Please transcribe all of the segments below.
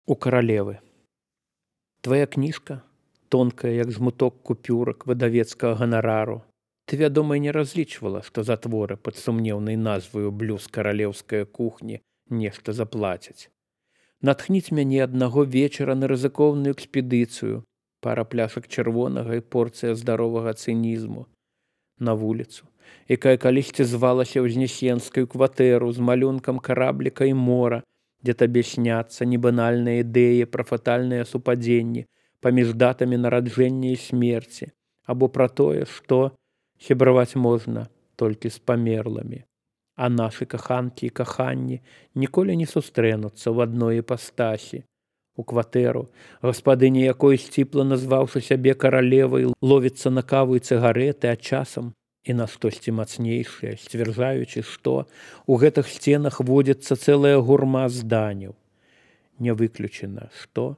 У каралевы. Твая кніжка, тонкая, як жмуток купюрак выдавецкага ганарару. Ты, вядома, і не разлічвала, што за творы пад сумнеўнай назваю «Блюз каралеўская кухні» нешта заплацяць. Натхніць мяне аднаго вечара на рызыкоўную экспедыцыю, пара пляшак чырвонага і порцыя здаровага цынізму. На вуліцу, якая калісьці звалася ўзнесенскую кватэру з малюнкам карабліка і мора, дзе табе сняцца небанальныя ідэі пра фатальныя супадзенні паміж датамі нараджэння і смерці, або пра тое, што сябраваць можна толькі з памерламі. А нашы каханкі і каханні ніколі не сустрэнуцца ў адной іпастасі. У кватэру, гаспадыня якой, сціпла назваўшы сябе каралевай, ловіцца на каву і цыгарэты, а часам і на штосьці мацнейшае, сцвярджаючы, што ў гэтых сценах водзіцца цэлая гурма зданяў. Не выключана, што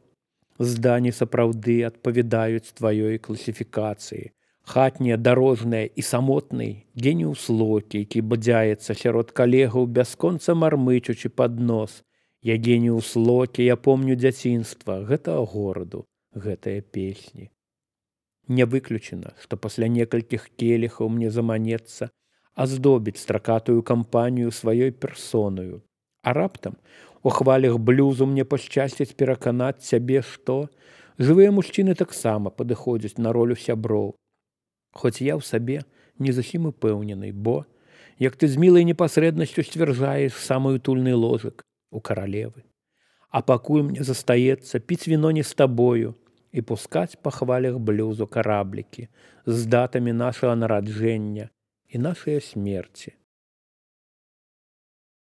здані сапраўды адпавядаюць тваёй класіфікацыі. Хатняе, дарожнае і самотнай геніус Локі, які бадзяецца сярод калегаў, бясконца мармычучы пад нос. Я геніус Локі, я помню дзяцінства гэтага гораду, гэтыя песні. Не выключана, што пасля некалькіх келіхаў мне заманецца аздобіць стракатую кампанію сваёй персонаю. А раптам у хвалях блюзу мне пашчасціць пераканаць цябе, што жывыя мужчыны таксама падыходзяць на ролю сяброў. Хоць я ў сабе не зусім упэўнены, бо, як ты з мілай непасрэднасцю сцвярджаеш самы утульны ложак у каралевы. А пакуль мне застаецца піць віно не з табою і пускаць па хвалях блюзу караблікі з датамі нашага нараджэння і нашай смерці.